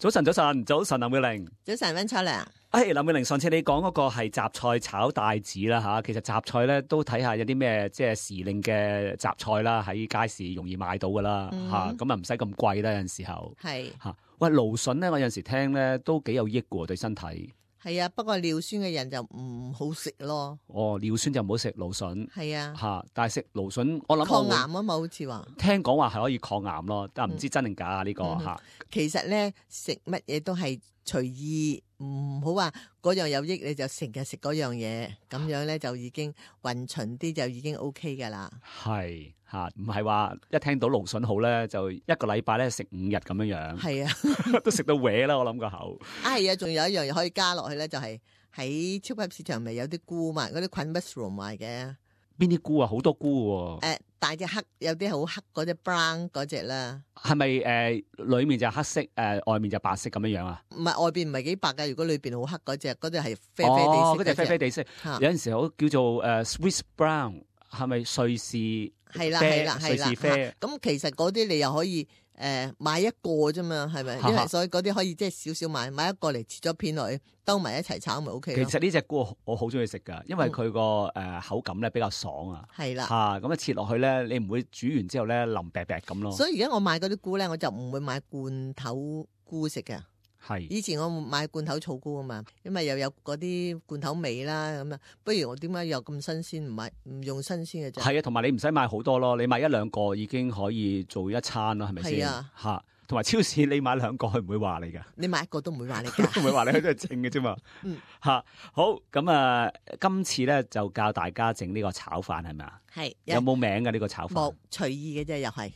早晨，林妙玲。早晨，溫秋良。林妙玲，上次你講嗰個係雜菜炒帶子啦吓，其實雜菜咧都睇下有啲咩即係時令嘅雜菜啦，喺街市容易買到噶啦吓，咁啊唔使咁貴啦，有陣時候係吓。喂，蘆筍咧，我有陣時聽咧都幾有益嘅對身體。係啊，不過尿酸嘅人就唔好食咯。哦，尿酸就唔好食蘆筍。係啊，吓，但係食蘆筍，我諗抗癌啊嘛，好似話。聽講話係可以抗癌咯，但係唔知真定假啊呢個吓。其實咧，食乜嘢都係隨意，唔好話嗰樣有益你就成日食嗰樣嘢，咁樣咧就已經勻循啲就已經 OK 噶啦。係吓，唔係話一聽到蘆筍好咧，就一個禮拜咧食5日咁樣樣。係啊，都食到歪啦，我諗個口。係啊，仲有一樣嘢可以加落去咧，就係喺超級市場咪有啲菇嘛，嗰啲菌 mushroom 賣嘅。邊啲菇啊？好多菇喎。大隻黑，有啲好黑嗰隻 brown 嗰隻啦。係咪裏面就黑色，外面就白色咁樣樣啊？唔係，外邊唔係幾白㗎，如果裏邊好黑嗰隻係啡啡地色。嗰隻啡啡地色，有陣時好叫做Swiss brown， 係咪瑞士？係啦，瑞士啡。咁其實嗰啲你又可以買一個啫嘛，係咪？因為所以嗰啲可以即係少少買一個嚟切咗片落去，兜埋一齊炒咪 OK 咯。其實呢隻菇我好中意食噶，因為佢個口感咧比較爽啊。係啦，咁啊切落去咧，你唔會煮完之後咧腍白白咁咯。所以而家我買嗰啲菇咧，我就唔會買罐頭菇食嘅。係以前我買罐頭草菇啊嘛，因為又有嗰啲罐頭味啦，咁啊，不如我點解又咁新鮮，唔用新鮮嘅啫？係啊，同埋你唔使買好多咯，你買1-2個已經可以做一餐啦，係咪先？係啊，吓，同埋超市你買2個，佢唔會話你噶。你買一個都唔會話你噶，唔會話你，佢都係正嘅啫嘛。吓，好咁啊！今次咧就教大家整呢個炒飯係咪啊？係有冇名嘅呢個炒飯？冇，隨意嘅啫，又係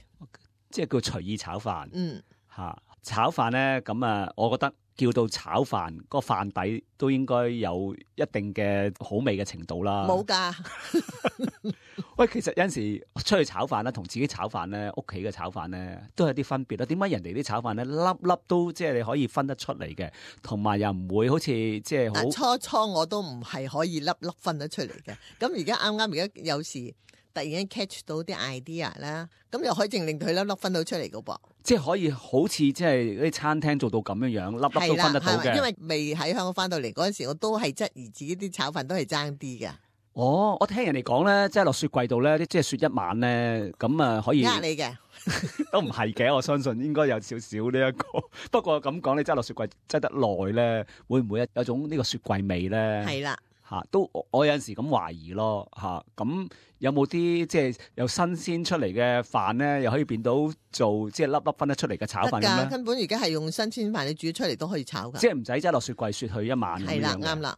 即係叫隨意炒飯。吓炒飯咧，咁啊，我覺得叫到炒飯，個飯底都應該有一定嘅好味嘅程度啦。冇噶。喂，其實有陣時出去炒飯啦，同自己炒飯咧，屋企嘅炒飯咧，都有啲分別啦。點解人哋啲炒飯咧粒粒都即係你可以分得出嚟嘅，同埋又唔會好似即係好初我都唔係可以粒粒分得出嚟嘅。咁而家啱而家有時突然間 catch 到啲 idea 啦，咁又可以淨令佢粒粒分到出嚟噶噃。即係可以好似即係啲餐廳做到咁樣樣，粒粒都分得到嘅。因為未喺香港翻到嚟嗰陣時，我都係質疑自己啲炒飯都係爭啲嘅。哦，我聽人哋講咧，即係落雪櫃度咧，即係雪一晚咧，咁啊可以呃你嘅，都唔係嘅，我相信應該有少少呢一個。不過咁講，你擠落雪櫃擠得耐咧，會唔會有種呢個雪櫃味咧？係啦。都我有陣時咁懷疑咯，咁有冇啲即係有新鮮出嚟嘅飯咧，又可以變到做即係粒粒分得出嚟嘅炒飯咁咧？根本而家係用新鮮飯，你煮出嚟都可以炒噶，即係唔使擠落雪櫃雪去一晚咁樣。係啦，啱啦。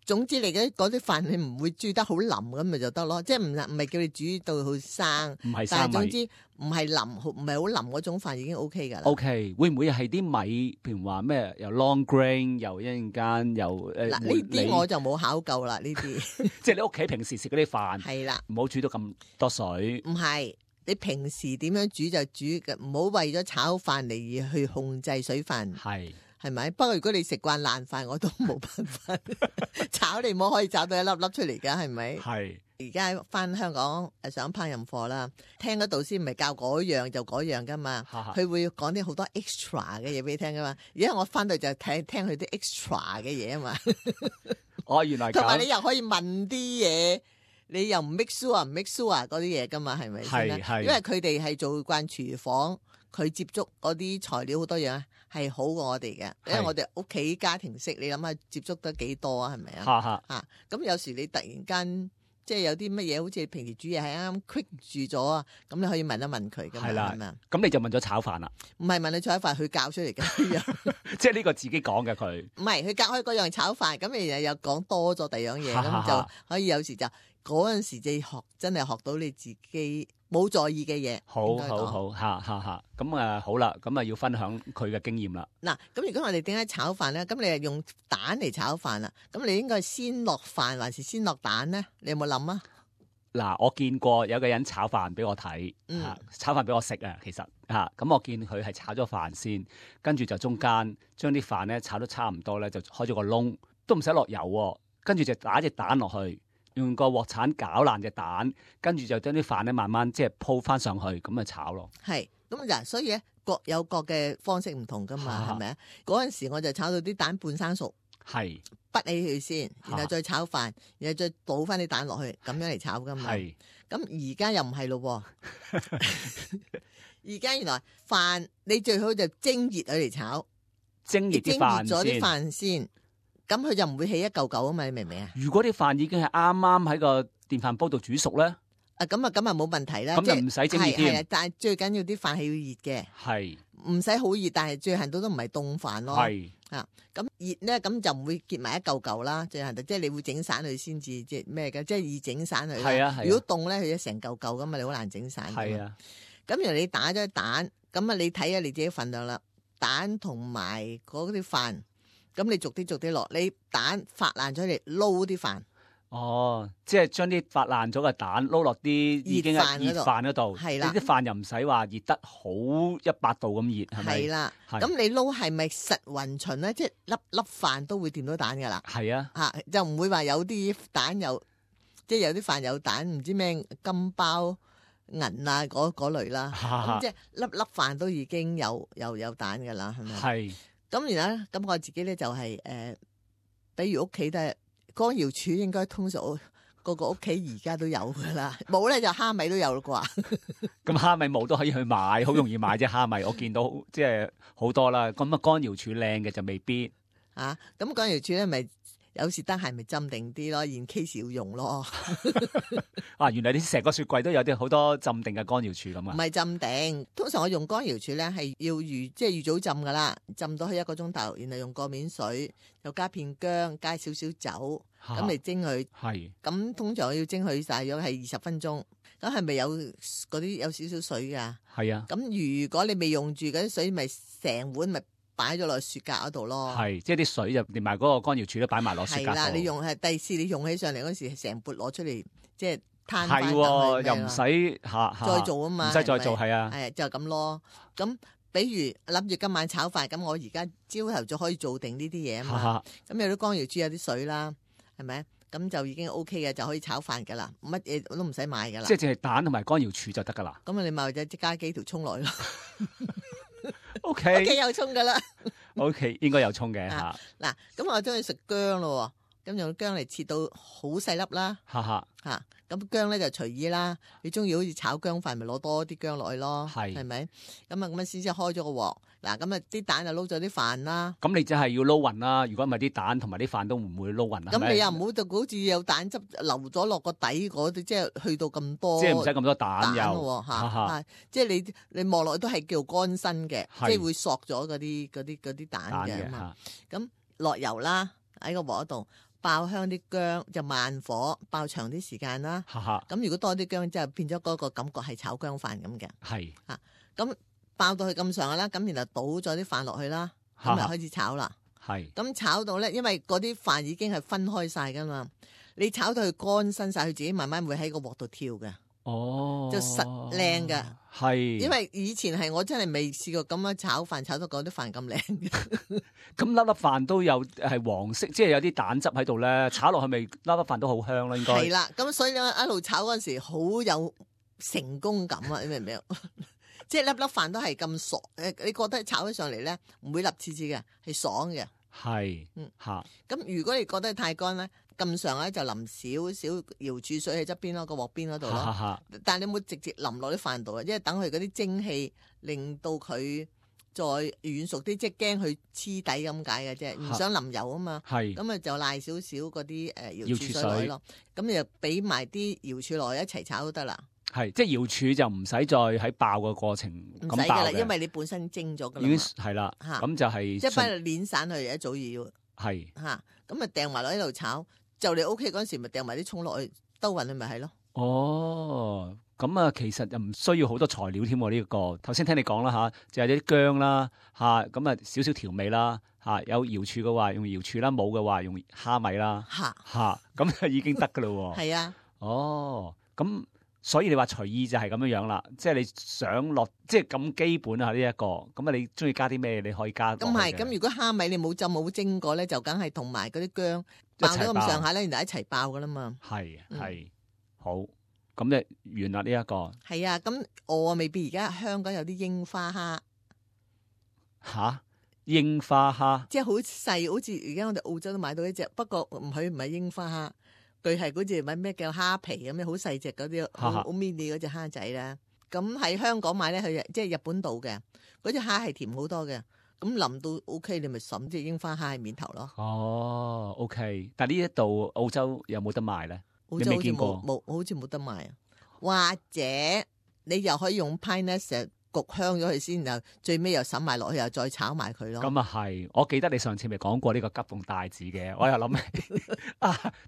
總之你嗰啲飯你唔會煮得好腍咁咪就得咯，即係唔係叫你煮到好生，唔係生米，但係總之唔係腍，唔係好腍嗰種飯已經 OK 噶啦。OK， 會唔會係啲米，譬如話咩又 long grain 又一陣間又嗱呢啲我就冇考究啦，呢啲即係你屋企平時食嗰啲飯係啦，唔好煮到咁多水。唔係，你平時點樣煮就煮嘅，唔好為咗炒飯嚟而去控制水分。係咪？不過如果你食慣爛飯，我都冇辦法炒你冇可以炒到一粒粒出嚟噶，係咪？係。而家翻香港上烹飪課啦，聽嗰導師唔係教嗰樣就嗰樣噶嘛，佢會講啲好多 extra 嘅嘢俾你聽噶嘛。而家我翻到就聽佢啲 extra 嘅嘢啊嘛。哦，原來同埋你又可以問啲嘢，你又唔 make sure 唔 make sure 嗰啲嘢噶嘛，係咪先？因為佢哋係做慣廚房。佢接觸嗰啲材料好多樣係好過我哋嘅，因為我哋屋企家庭式，你諗下接觸得幾多啊？係咪啊？咁有時你突然間即係有啲乜嘢，好似平時煮嘢係啱啱 quick 住咗啊，咁你可以問一問佢㗎嘛？係嘛？咁你就問咗炒飯啦？唔係問你炒飯，佢教出嚟嘅，即係呢個自己講嘅佢。唔係佢教開嗰樣炒飯，咁你又講多咗第二樣嘢，咁就可以有時就嗰陣時就真係學到你自己冇在意嘅嘢。好，咁好啦，咁啊要分享佢嘅經驗啦。嗱，咁如果我哋點解炒飯咧？咁你係用蛋嚟炒飯啦，咁你應該係先落飯還是先落蛋咧？你有冇諗啊？嗱，我見過有個人炒飯俾我睇，炒飯俾我食啊，其實咁我見佢係炒咗飯先，跟住就中間將啲飯咧炒得差唔多咧，就開咗個窿，都唔使落油，跟住就打隻蛋落去。用個鑊鏟攪爛隻蛋，跟住就將啲飯咧慢慢即係鋪翻上去，咁啊炒咯。係咁就所以咧各有各嘅方式唔同噶嘛，係咪啊？嗰陣時我就炒到啲蛋半生熟，係滗起佢先，然後再炒飯，然後再倒翻啲蛋落去，咁樣嚟炒噶嘛。係咁而家又唔係咯，而家原來飯你最好就蒸熱佢嚟炒，蒸熱啲咗啲飯飯先，咁佢就唔會起一嚿嚿啊嘛，你明唔明啊？如果啲飯已經係啱啱喺個電飯煲度煮熟咧，咁啊冇問題啦。咁就唔使蒸熱添。係，但係最緊要啲飯係要熱嘅。係唔使好熱，但係最行到都唔係凍飯咯。係咁熱咧，咁就唔會結埋一嚿嚿啦。最行到即係你會整散佢先至，即係咩嘅？即係易整散佢。係啊。如果凍咧，佢就成嚿嚿咁啊，你好難整散。係啊。咁然後你打咗蛋，咁啊你睇下你自己份量啦。蛋同埋嗰啲飯，咁你逐啲落。你蛋發爛咗嚟撈啲飯。哦，即係將啲發爛咗嘅蛋撈落啲已經係熱飯嗰度，係啦，啲飯又唔使話熱得好100度咁熱，係咪？係啦，咁你撈係咪實勻勻咧？即係粒粒飯都會掂到蛋噶啦。係啊，就唔會話有啲蛋即係有啲飯有蛋，唔知咩金包銀啊嗰類啦。咁即係粒粒飯都已經有蛋噶啦，係咪？係。咁然後咧，咁我自己咧就係比如屋企都係。乾瑤柱應該通常個個屋企而家都有噶啦，冇咧就蝦米都有啦啩。咁蝦米冇都可以去買，好容易買啫。蝦米我見到即係好多啦。咁啊乾瑤柱靚嘅就未必。咁乾瑤柱咧咪有時得閒咪浸定啲咯，現 case 要用咯。原來你成個雪櫃都有啲好多浸定嘅乾瑤柱咁啊？唔係浸定，通常我用乾瑤柱咧係要預早浸噶啦，浸到去1個鐘頭，然後用過面水，又加片薑，加少少酒，咁嚟蒸佢。係。咁通常我要蒸佢大約係20分鐘。咁係咪有嗰啲有少少水噶？係啊。咁如果你未用住嗰啲水，咪成碗咪擺咗落雪格嗰度咯。係，即係啲水就連埋嗰個乾瑤柱都擺埋落雪格度。係啦，你用第時你用起上嚟嗰時，成缽攞出嚟，即係攤翻。係，又唔使再做啊嘛，唔使再做，係啊。係就咁咯。咁比如諗住今晚炒飯，咁我而家朝頭早可以做定呢啲嘢啊嘛。咁有啲乾瑤柱有啲水啦，係咪？咁就已經 OK 嘅，就可以炒飯噶啦，乜嘢都唔使買噶啦。即係淨係蛋同埋乾瑤柱就得噶啦。咁你咪就即加幾條葱落去咯。O K， 有葱噶啦。O K， 應該有葱嘅吓。嗱，咁我中意食薑咯，咁用薑嚟切到好細粒啦。咁薑咧就隨意啦。你中意好似炒薑飯，咪攞多啲薑落去咯。係咪？咁啊咁先開咗個鑊。嗱，咁啊啲蛋就撈咗啲飯啦。咁你真係要撈勻啦。如果唔係啲蛋同埋啲飯都唔會撈勻。咁你又唔好就好似有蛋汁流咗落個底嗰啲，即係去到咁多。即係唔使咁多蛋油。即係你望落去都係叫乾身嘅，即係會索咗嗰啲蛋嘅嘛。咁落油啦，喺個鑊度。爆香啲薑就慢火爆長啲時間啦。咁如果多啲薑，就變咗嗰個感覺係炒薑飯咁嘅。係咁爆到去咁上下啦，咁然後倒咗啲飯落去啦，咁就開始炒啦。係咁炒到咧，因為嗰啲飯已經係分開晒噶嘛，你炒到佢乾身晒，佢自己慢慢會喺個鑊度跳嘅。哦，就實靚㗎。係，因為以前係我真係未試過咁樣炒飯炒到嗰啲飯咁靚嘅。咁粒粒飯都有係黃色，即係有啲蛋汁喺度咧，炒落去咪粒粒飯都好香啦。應該係啦。咁所以咧一路炒嗰陣時好有成功感啊！你明唔明？即係粒粒飯都係咁爽，你覺得炒起上嚟咧唔會粒刺刺嘅，係爽嘅。係，咁如果你覺得太乾咧，咁上咧就淋少少瑤柱水喺側邊咯，個鑊邊嗰度咯。但係你冇直接淋落啲飯度啊，因為等佢嗰啲蒸氣令到佢再軟熟啲，即係驚佢黐底咁解嘅啫，唔想淋油啊嘛。係，咁啊就賴少少嗰啲瑤柱水落去咯。咁你就俾埋啲瑤柱落去一齊炒都得啦。係，即係瑤柱就唔使再喺爆嘅過程咁爆嘅。唔使噶啦，因為你本身蒸咗噶啦。已經係啦，咁就係即係翻去碾散佢，一早要係吓，咁啊掟埋落喺度炒，就你 OK 嗰陣時咪掟埋啲葱落去兜勻佢咪係咯。哦，咁啊，其實又唔需要好多材料添喎。呢個頭先聽你講啦吓，就有啲薑啦吓，咁啊少少調味啦吓，有瑤柱嘅話用瑤柱啦，冇嘅話用蝦米啦吓，咁就已經得噶啦。係啊。哦，咁。所以你話隨意就係咁樣樣啦，即係你想落，即係咁基本啊呢一個，咁啊你中意加啲咩你可以加。咁係，咁如果蝦米你冇浸冇蒸過咧，就梗係同埋嗰啲薑爆咗咁上下咧，然後一齊爆噶啦嘛。係好，咁就完啦呢一個。係啊，咁我未必而家香港有啲櫻花蝦。吓，櫻花蝦，即係好細，好似而家我哋澳洲都買到一隻，不過唔係櫻花蝦，佢係嗰隻咩叫蝦皮咁樣，好細隻嗰啲，好 mini 嗰隻蝦仔啦。咁喺香港買咧，佢即係日本度嘅嗰隻蝦係甜好多嘅。咁淋到 OK， 你咪揼隻櫻花蝦喺面頭咯。哦 OK， 但呢一度澳洲有冇得賣咧？澳洲好似冇，好似冇得賣啊。或者你又可以用 pine nuts焗香咗佢先，然後最尾又揼埋落去，又再炒埋佢咯。咁啊係，我記得你上次咪講過呢個急凍帶子嘅，我又諗起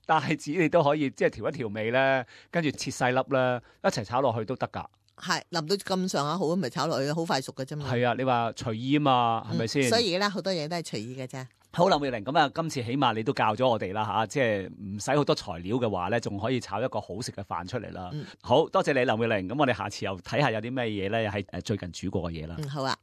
帶子你都可以即係調一調味咧，跟住切細粒咧，一齊炒落去都得㗎。係淋到咁上下好，咪炒落去，好快熟嘅啫嘛。係啊，你話隨意啊嘛，係咪先？所以而家好多嘢都係隨意嘅啫。好，林妙玲，咁啊，今次起碼你都教咗我哋啦嚇，即係唔使好多材料嘅話咧，仲可以炒一個好食嘅飯出嚟啦。好多謝你，林妙玲。咁我哋下次又睇下有啲咩嘢咧，係最近煮過嘅嘢啦。好啊。